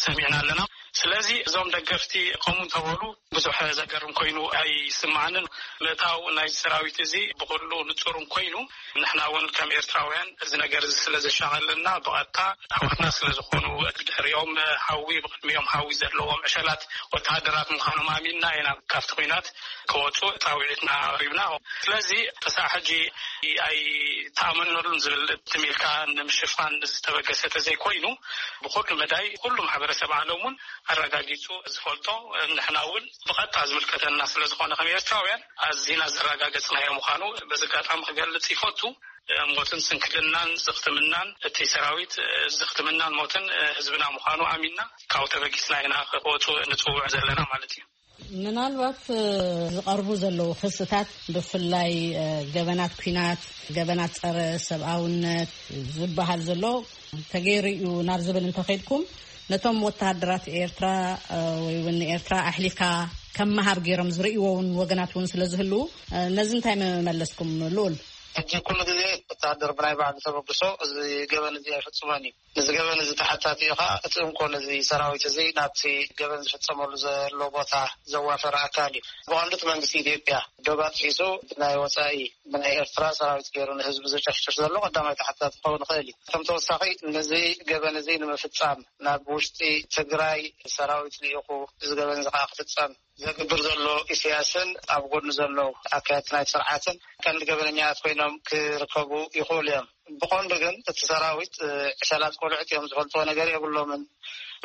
ሰሚዕና ኣለና። ስለዚ እዞም ደገፍቲ ከምኡ እንተበሉ ብዙሕ ዘገርም ኮይኑ ኣይስምዓንን። ምእታው ናይ ሰራዊት እዚ ብኹሉ ንጹርን ኮይኑ፣ ንሕና እውን ከም ኤርትራውያን እዚ ነገር እዚ ስለ ዘሻቐለና ብቐጥታ ኣሕዋትና ስለ ዝኾኑ፣ ብድሕሪኦም ሓዊ፣ ብቕድሚኦም ሓዊ ዘለዎም ዕሸላት ወተሃደራት ምዃኖም ኣሚንና ኢና ካብቲ ኲናት ክወጹ ጻውዒትና ኣቕሪብና። ስለዚ ክሳዕ ሕጂ ኣይተኣመነሉን ዝብል ትም ኢልካ ንምሽፋን ዝተበገሰ ተዘይኮይኑ፣ ብኹሉ መዳይ ኩሉ ማሕበረሰብ ዓለም እውን ኣረጋጊጹ ዝፈልጦ፣ ንሕና እውን ብቐጥታ ዝምልከተና ስለ ዝኾነ ከም ኤርትራውያን ኣዚና ዘረጋገጽናዮ ምዃኑ በዚ ኣጋጣሚ ክገልጽ ይፈቱ። ሞትን ስንክልናን ዝኽትምናን እቲ ሰራዊት ዝኽትምናን ሞትን ህዝብና ምዃኑ ኣሚንና ካብኡ ተበጊስና ኢና ክወጹ ንጽውዕ ዘለና ማለት እዩ። ምናልባት ዝቐርቡ ዘለዉ ክስታት ብፍላይ ገበናት ኲናት፣ ገበናት ጸረ ሰብኣውነት ዝበሃል ዘሎ ተገይሩ እዩ ናብ ዝብል እንተኸድኩም፣ ነቶም ወተሃደራት ኤርትራ ወይ እውን ንኤርትራ ኣሕሊፍካ ከም መሃብ ገይሮም ዝርእይዎ እውን ወገናት እውን ስለ ዝህልዉ፣ ነዚ እንታይ መመለስኩም ልኡል? ሕጂ ኩሉ ግዜ ወተሃደር ብናይ ባዕሉ ተበግሶ እዚ ገበን እዚ ኣይፍጽሞን እዩ። እዚ ገበን እዚ ተሓታቲ እዩ ኸዓ እቲ እንኮ ነዚ ሰራዊት እዚ ናብቲ ገበን ዝፍጸመሉ ዘሎ ቦታ ዘዋፈረ ኣካል እዩ። ብቐንዱ እቲ መንግስቲ ኢትዮጵያ ዶብ ኣጥሒሱ ብናይ ወጻኢ ብናይ ኤርትራ ሰራዊት ገይሩ ንህዝቢ ዘጨፍጭፍ ዘሎ ቀዳማይ ተሓታቲ ክኸውን ይኽእል እዩ። ከም ተወሳኺ ነዚ ገበን እዚ ንምፍጻም ናብ ውሽጢ ትግራይ ሰራዊት ልኢኹ እዚ ገበን እዚ ኸዓ ክፍጸም ዘግብር ዘሎ ኢሳያስን ኣብ ጎኑ ዘለዉ ኣካየድቲ ናይቲ ስርዓትን ቀንዲ ገበነኛታት ኮይኖም ክርከቡ ይኽእሉ እዮም። ብቐንዱ ግን እቲ ሰራዊት ዕሸላት ቆልዑት እዮም፣ ዝፈልጥዎ ነገር የብሎምን።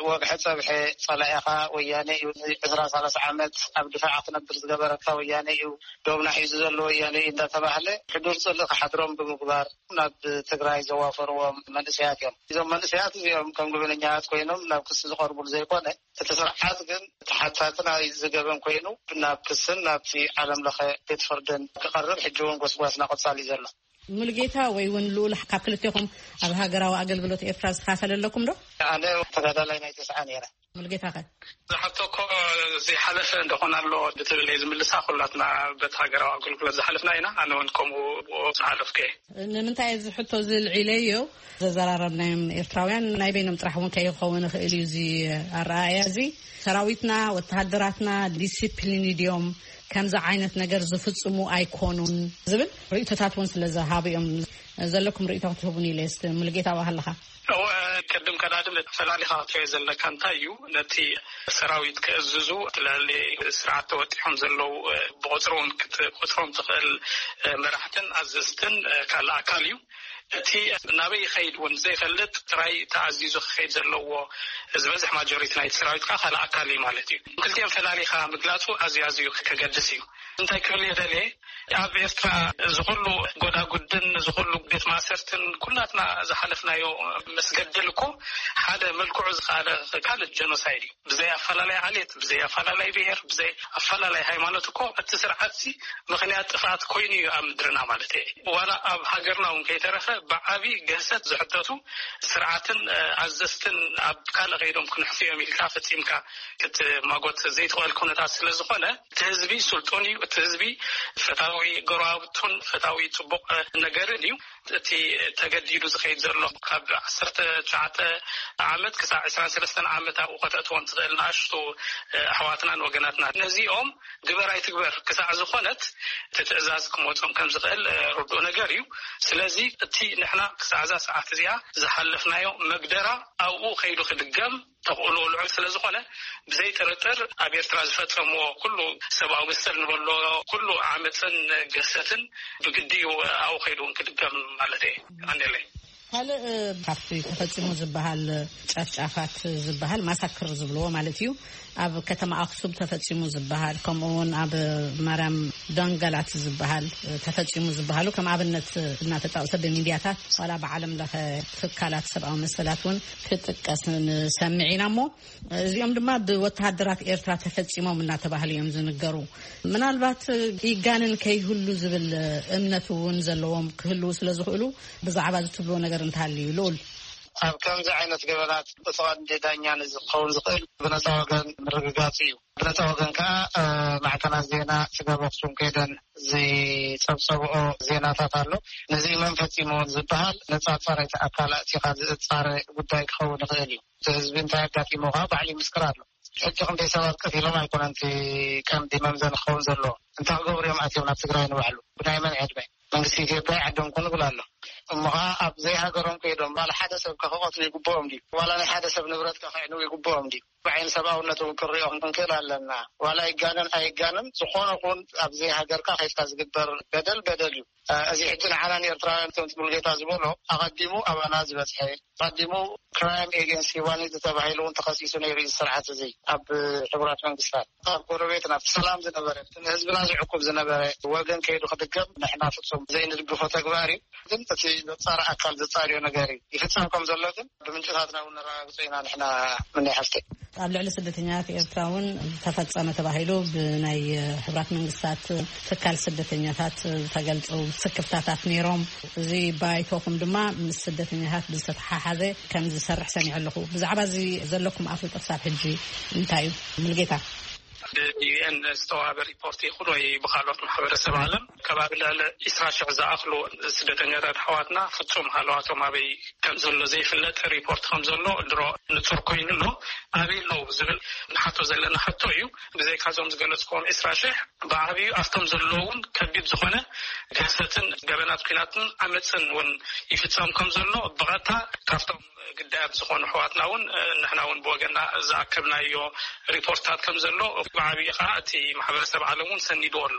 ወግሐ ጸብሐ ጸላኢኻ ወያነ እዩ፣ ዕስራ ሰላሳ ዓመት ኣብ ድፋዕ ክነብር ዝገበረካ ወያነ እዩ፣ ዶብና ሒዙ ዘሎ ወያነ እዩ እንዳተባህለ ሕዱር ጽልኢ ክሓድሮም ብምግባር ናብ ትግራይ ዘዋፈርዎም መንእሰያት እዮም። እዞም መንእሰያት እዚኦም ከም ገበነኛታት ኮይኖም ናብ ክሲ ዝቐርቡሉ ዘይኮነ፣ እቲ ስርዓት ግን ተሓታቲ ናይ ዝገበን ኮይኑ ናብ ክስን ናብቲ ዓለም ለኸ ቤት ፍርድን ክቐርብ ሕጂ እውን ጎስጓስና ቀጻሊ እዩ ዘሎ። ሙሉጌታ ወይ እውን ልኡል ካብ ክልቴኹም ኣብ ሃገራዊ ኣገልግሎት ኤርትራ ዝተኻፈለ ኣለኩም ዶ? ኣነ ተጋዳላይ ናይ ተስዓ ነይረ። ሙሉጌታ ኸ? ዝሓቶ እኮ ዘይሓለፈ እንደኾነ ኣሎ ብትብል እየ ዝምልሳ። ኩላትና በቲ ሃገራዊ ኣገልግሎት ዝሓለፍና ኢና። ኣነ እውን ከምኡ ዝሓለፍኩ እየ። ንምንታይ እዚ ሕቶ እዚ ልዒለዮ? ዘዘራረብናዮም ኤርትራውያን ናይ በይኖም ጥራሕ እውን ከይኸውን ይኽእል እዩ እዚ ኣረኣእያ እዚ። ሰራዊትና፣ ወተሃደራትና ዲሲፕሊን ድዮም ከምዚ ዓይነት ነገር ዝፍጽሙ ኣይኮኑን ዝብል ርእይቶታት እውን ስለ ዝሃቡ እዮም። ዘለኩም ርእይቶ ክትህቡን ኢለ እስቲ ሙሉጌታ ዋሃለኻ። እወ፣ ቅድም ቀዳድም ፈላሊኻ ክትሪኦ ዘለካ እንታይ እዩ፣ ነቲ ሰራዊት ከእዝዙ እቲ ልዕሊ ስርዓት ተወጢሖም ዘለዉ፣ እ፣ ብቑጽሪ እውን ክትቆጽሮም ትኽእል፣ እ፣ መራሕትን ኣዘዝትን፣ እ፣ ካልእ ኣካል እዩ። እቲ ናበይ ይኸይድ እውን ዘይፈልጥ ጥራይ ተኣዚዙ ክኸይድ ዘለዎ ዝበዝሕ ማጆሪቲ ናይቲ ሰራዊት ከዓ ካልእ ኣካል እዩ ማለት እዩ። ክልቲኦም ፈላሊኻ ምግላጹ ኣዝዩ ኣዝዩ ከገድስ እዩ። እንታይ ክብል እየ ደልየ፣ ኣብ ኤርትራ እዚ ኩሉ ጎዳጉድን እዚ ኩሉ ቤት ማእሰርትን ኩላትና ዝሓለፍናዮ መስገድል እኮ ሓደ መልክዑ ዝኸኣለ ካልእ ጀኖሳይድ እዩ። ብዘይ ኣፈላላይ ዓሌት፣ ብዘይ ኣፈላላይ ብሄር፣ ብዘይ ኣፈላላይ ሃይማኖት እኮ እቲ ስርዓት እዚ ምኽንያት ጥፍኣት ኮይኑ እዩ ኣብ ምድርና ማለት እየ። ዋላ ኣብ ሃገርና እውን ከይተረፈ ብዓቢ ግህሰት ዝሕተቱ ስርዓትን፣ እ፣ ኣዘዝትን ኣብ ካልእ ከይዶም ክንሕፍዮም ኢልካ ፈጺምካ ክትማጎት ዘይትኽእል ኩነታት ስለ ዝኾነ፣ እቲ ህዝቢ ስልጡን እዩ። እቲ ህዝቢ ፈታዊ ጎረባብቱን ፈታዊ ጽቡቕ ነገርን እዩ። እቲ ተገዲዱ ዝኸይድ ዘሎ ካብ ዓሰርተ ትሽዓተ ዓመት ክሳዕ ዕስራን ሰለስተን ዓመት ኣብኡ ከተእትዎም ትኽእል ንኣሽቱ ኣሕዋትናን ወገናትናን፣ ነዚኦም ግበር ኣይትግበር ክሳዕ ዝኾነት እቲ ትእዛዝ ክመጾም ከም ዝኽእል ርዱእ ነገር እዩ። ስለዚ እቲ ንሕና ክሳዕ እዛ ሰዓት እዚኣ ዝሓለፍናዮ መግደራ ኣብኡ ከይዱ ክድገም ተኽእሎ ልዑል ስለ ዝኾነ፣ ብዘይ ጥርጥር ኣብ ኤርትራ ዝፈጸምዎ ኩሉ ሰብኣዊ መሰል ንበሎ ኩሉ ዓመጽን ገሰትን ብግዲ እዩ ኣብኡ ከይዱ እውን ክድገም ማለት እየ። ቀንደለይ። ካልእ ካብቲ ተፈጺሙ ዝበሃል ጨፍጫፋት ዝበሃል ማሳክር ዝብልዎ ማለት እዩ። ኣብ ከተማ ኣክሱም ተፈጺሙ ዝበሃል፣ ከምኡ እውን ኣብ ማርያም ዳንገላት ዝበሃል ተፈጺሙ ዝበሃሉ ከም ኣብነት እናተጠቕሰ ብሚድያታት ዋላ ብዓለም ለኸ ትካላት ሰብኣዊ መሰላት እውን ክጥቀስ ንሰምዕ ኢና። እሞ እዚኦም ድማ ብወተሃደራት ኤርትራ ተፈጺሞም እናተባህሉ እዮም ዝንገሩ። ምናልባት ይጋንን ከይህሉ ዝብል እምነት እውን ዘለዎም ክህልዉ ስለ ዝኽእሉ ብዛዕባ እዚ ትብልዎ ነገር እንተሃልዩ ልኡል? ኣብ ከምዚ ዓይነት ገበናት እቲ ቀንዲ ዳኛ ንዝኸውን ዝኽእል ብነፃ ወገን ምርግጋፅ እዩ። ብነፃ ወገን ከዓ ማዕከናት ዜና ስጋብ ኣክሱም ከይደን ዝፀብፀብኦ ዜናታት ኣሎ። ነዚ መን ፈፂምዎን ዝበሃል ነፃ ፃረይቲ ኣካል ኣእቲኻ ዝፃረ ጉዳይ ክኸውን ይኽእል እዩ። እቲ ህዝቢ እንታይ ኣጋጢሞ ከዓ ባዕሉ ይምስክር ኣሎ። ሕጂ ክንደይ ሰባት ቀቲሎም ኣይኮነን እቲ ቀንዲ መምዘኒ ክኸውን ዘለዎ። እንታይ ክገብሩ እዮም ኣትዮም ናብ ትግራይ ንባዕሉ? ብናይ መን ዕድመ? መንግስቲ ኢትዮጵያ ይዓዶም ኩን ይብል ኣሎ። እሞ ከዓ ኣብ ዘይሃገሮም ከይዶም ባል ሓደ ሰብ ከ ክቐትሉ ይግብኦም ድዩ? ዋላ ናይ ሓደ ሰብ ንብረት ከ ክዕንው ይግብኦም ድዩ? ብዓይኒ ሰብኣውነት እውን ክንሪኦ ክንክእል ኣለና። ዋላ ይጋነን ኣይጋነን ዝኾነ ኹን ኣብ ዘይሃገርካ ከይድካ ዝግበር በደል በደል እዩ። እዚ ሕጂ ንዓና ንኤርትራውያን ከምቲ ሙሉጌታ ዝበሎ ኣቐዲሙ ኣባና ዝበፅሐ ኣቐዲሙ ክራይም ኤጌንስት ሂውማኒቲ ተባሂሉ እውን ተኸሲሱ ነይሩ እዩ። ስርዓት እዚ ኣብ ሕቡራት መንግስታት ኣብ ጎረቤትና ሰላም ዝነበረ ንህዝብና ዝዕቁብ ዝነበረ ወገን ከይዱ ክድገም ንሕና ፍጹም ዘይንድግፎ ተግባር እዩ። ግን እቲ ዘጻሪ ኣካል ዘጻርዮ ነገር እዩ ይፍጸም ከም ዘሎ ግን ብምንጭታትና እውን ነረጋግጾ ኢና ንሕና ምናይ ሓፍተይ። ኣብ ልዕሊ ስደተኛታት ኤርትራ እውን ተፈጸመ ተባሂሉ ብናይ ሕቡራት መንግስታት ትካል ስደተኛታት ዝተገልጹ ስክፍታታት ነይሮም። እዚ ባይቶኹም ድማ ምስ ስደተኛታት ብዝተተሓሓዘ ከም ዝሰርሕ ሰሚዐ ኣለኹ። ብዛዕባ እዚ ዘለኩም ኣፍልጦ ክሳብ ሕጂ እንታይ እዩ? ሙልጌታ። ብዩኤን ዝተዋህበ ሪፖርት ይኹን ወይ ብካልኦት ማሕበረሰብ ዓለም ከባቢ ልዕሊ ዒስራ ሽሕ ዝኣኽሉ ስደተኛታት ኣሕዋትና ፍጹም ሃለዋቶም ኣበይ ከም ዘሎ ዘይፍለጥ ሪፖርት ከም ዘሎ ድሮ ንጹር ኮይኑ ኣሎ። ኣበይ ኣለዉ ዝብል ንሓቶ ዘለና ሕቶ እዩ። ብዘይካዞም ዝገለጽክዎም ዒስራ ሽሕ ብዓብዩ ኣብቶም ዘለዉ እውን ከቢድ ዝኾነ ግህሰትን ገበናት ኲናትን ዓመፅን እውን ይፍጸም ከም ዘሎ ብቐጥታ ካብቶም ግዳያት ዝኾኑ ኣሕዋትና እውን ንሕና እውን ብወገንና ዝኣከብናዮ ሪፖርትታት ከም ዘሎ ብዓብዪ ከዓ እቲ ማሕበረሰብ ዓለም እውን ሰኒድዎ ኣሎ።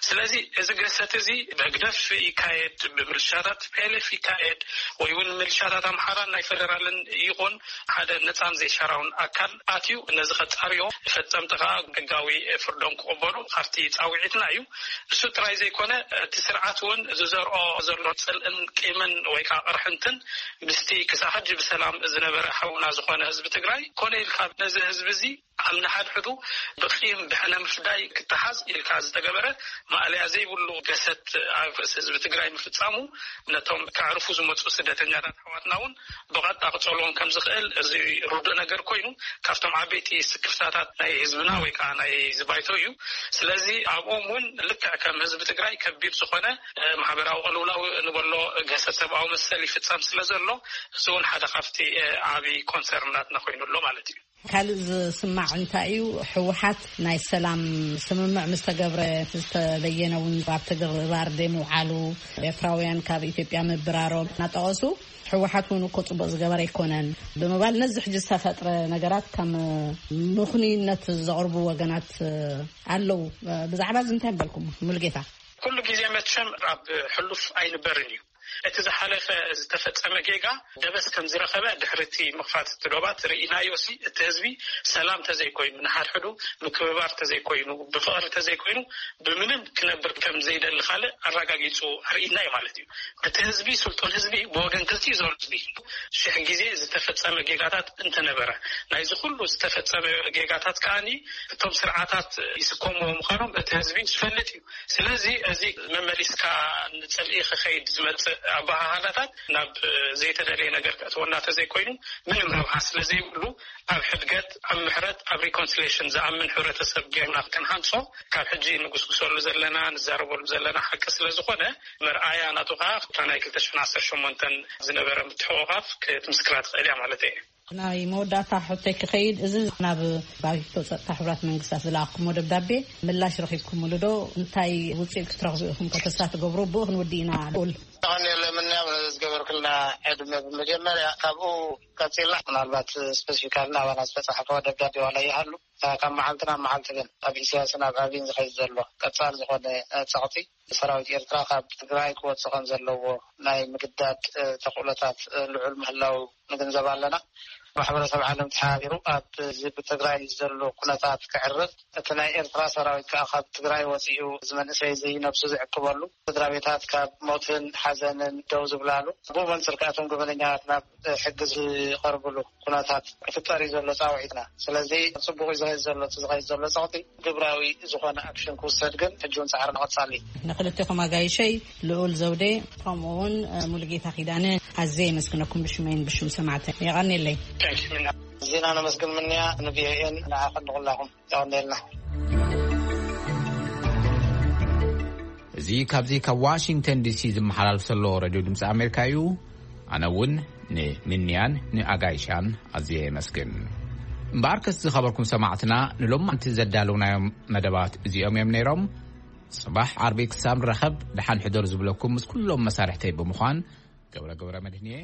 ስለዚ እዚ ግህሰት እዚ ብህግደፍ ይካየድ፣ ብምልሻታት ፒኤልኤፍ ይካየድ ወይ እውን ምልሻታት ኣምሓራን ናይ ፌደራልን ይኹን ሓደ ነፃን ዘይሻራውን ኣካል ኣትዩ ነዚ ከፃርዮ ፈፀምቲ ከዓ ሕጋዊ ፍርዶም ክቕበሉ ካብቲ ፃውዒትና እዩ። እሱ ጥራይ ዘይኮነ እቲ ስርዓት እውን ዝዘርኦ ዘሎ ፅልእን ቂምን ወይ ከዓ ቅርሕንትን ምስቲ ክሳብ ሕጂ ብሰላም ዝነበረ ሓውና ዝኾነ ህዝቢ ትግራይ ኮነ ኢልካ ነዚ ህዝቢ እዚ ኣብ ንሓድሕዱ ብቂም ብሕነ ምፍዳይ ክተሓዝ ኢልካ ዝተገበረ ማእለያ ዘይብሉ ገሰት ኣብ ርእሲ ህዝቢ ትግራይ ምፍፃሙ ነቶም ከዕርፉ ዝመፁ ስደተኛታት ኣሕዋትና እውን ብቐጥታ ክፀልዎም ከም ዝኽእል እዚ ርዱእ ነገር ኮይኑ ካብቶም ዓበይቲ ስክፍታታት ናይ ህዝብና ወይ ከዓ ናይ ዝባይቶ እዩ። ስለዚ ኣብኦም እውን ልክዕ ከም ህዝቢ ትግራይ ከቢድ ዝኾነ ማሕበራዊ ቅልውላው ንበሎ ገሰት ሰብኣዊ መሰል ይፍፀም ስለ ዘሎ እዚ እውን ሓደ ካብቲ ዓብዪ ኮንሰርን ናትና ኮይኑ ኣሎ ማለት እዩ። ካልእ ዝስማዕ እንታይ እዩ? ህወሓት ናይ ሰላም ስምምዕ ምስ ተገብረ ዝተበየነ እውን ኣብ ተግባር ዘይምውዓሉ፣ ኤርትራውያን ካብ ኢትዮጵያ ምብራሮም እናጠቐሱ ህወሓት እውን እኮ ፅቡቕ ዝገበረ ኣይኮነን ብምባል ነዚ ሕጂ ዝተፈጥረ ነገራት ከም ምኽንይነት ዘቕርቡ ወገናት ኣለዉ። ብዛዕባ እዚ እንታይ ምበልኩም? ሙሉጌታ። ኩሉ ግዜ መቸም ኣብ ሕሉፍ ኣይንበርን እዩ። እቲ ዝሓለፈ ዝተፈጸመ ጌጋ ደበስ ከም ዝረኸበ ድሕሪ እቲ ምኽፋት እቲ ዶባት ርኢናዮ ሲ እቲ ህዝቢ ሰላም ተዘይኮይኑ ንሓድሕዱ ምክብባር ተዘይኮይኑ ብፍቕሪ ተዘይኮይኑ ብምንም ክነብር ከም ዘይደሊ ካልእ ኣረጋጊጹ ኣርኢና እዩ ማለት እዩ። እቲ ህዝቢ ስልጡን ህዝቢ ብወገን ክልቲኡ ዘሎ ህዝቢ ሽሕ ግዜ ዝተፈጸመ ጌጋታት እንተነበረ ናይዚ ኩሉ ዝተፈጸመ ጌጋታት ከኣኒ እቶም ስርዓታት ይስከምዎ ምዃኖም እቲ ህዝቢ ዝፈልጥ እዩ። ስለዚ እዚ መመሊስካ ንጽልኢ ክኸይድ ዝመጽእ ኣበሃህላታት ናብ ዘይተደለየ ነገር ከእትወና ተዘይኮይኑ ምንም ረብሓ ስለዘይብሉ ኣብ ሕድገት ኣብ ምሕረት ኣብ ሪኮንሲሌሽን ዝኣምን ሕብረተሰብ ጌርና ክንሃንጾ ካብ ሕጂ ንጉስጉሰሉ ዘለና ንዛረበሉ ዘለና ሓቂ ስለዝኾነ መርኣያ ናቱ ከዓ እታ ናይ ክልተ ሽሕን ዓሰርተ ሸሞንተን ዝነበረ ምትሕቑቓፍ ክትምስክራ ትኽእል እያ ማለት እየ። ናይ መወዳእታ ሕቶይ ክኸይድ፣ እዚ ናብ ባይቶ ጸጥታ ሕቡራት መንግስታት ዝለኣኽኩሞ ደብዳቤ ምላሽ ረኺብኩምሉ ዶ? እንታይ ውጽኢት ክትረኽቡ ኢኹም ከ ተስፋ ትገብሩ? ብኡ ክንውድእ ኢና። ልኡል። ተቐኒለምንያ ዝገበርክልና ዕድመ ብመጀመርያ ካብኡ ቀጺልና ምናልባት ስፔሲፊካሊ ናባና ዝተጻሕፈ ደብዳቤ ዋላ ይሃሉ ካብ መዓልቲ ናብ መዓልቲ ግን ኣብ ኢሳያስን ኣብ ኣብይን ዝኸይድ ዘሎ ቀጻል ዝኾነ ጸቕጢ ሰራዊት ኤርትራ ካብ ትግራይ ክወጽእ ከም ዘለዎ ናይ ምግዳድ ተኽእሎታት ልዑል ምህላው ንግንዘብ ኣለና። ማሕበረሰብ ዓለም ተሓባቢሩ ኣብ እዚ ብትግራይ ዘሎ ኩነታት ክዕርፍ፣ እቲ ናይ ኤርትራ ሰራዊት ከዓ ካብ ትግራይ ወፂኡ እዚ መንእሰይ እዚ ነብሱ ዝዕቅበሉ፣ ስድራ ቤታት ካብ ሞትን ሓዘንን ደው ዝብላሉ፣ ብኡ መንፅር ከዓ እቶም ገበነኛታት ናብ ሕጊ ዝቐርብሉ ኩነታት ክፍጠር እዩ ዘሎ ፃውዒትና። ስለዚ ፅቡቅ እዩ ዝኸይድ ዘሎ፣ እቲ ዝኸይድ ዘሎ ፀቕጢ ግብራዊ ዝኾነ ኣክሽን ክውሰድ ግን ሕጂ እውን ፃዕሪ ንቐፃል እዩ። ንክልቴኹም ኣጋይሸይ ልኡል ዘውዴ ከምኡ እውን ሙሉጌታ ኪዳነ ኣዝየ የመስግነኩም ብሽመይን ብሽም ሰማዕተ። የቐንየለይ። ዜና ነመስግን ምንያ ንቪኦኤን ንዓኸን ንኹላኹም የቐንየልና። እዚ ካብዚ ካብ ዋሽንግተን ዲሲ ዝመሓላልፍ ዘሎ ሬድዮ ድምፂ ኣሜሪካ እዩ። ኣነ እውን ንምንያን ንኣጋይሻን ኣዝየ የመስግን። እምበኣርከስ ዝኸበርኩም ሰማዕትና፣ ንሎማንቲ ዘዳለውናዮም መደባት እዚኦም እዮም ነይሮም። ጽባሕ ዓርቢ ክሳብ ንራኸብ ደሓን ሕደሩ ዝብለኩም ምስ ኩሎም መሳርሕተይ ብምዃን ገብረ ገብረ መድህንየ።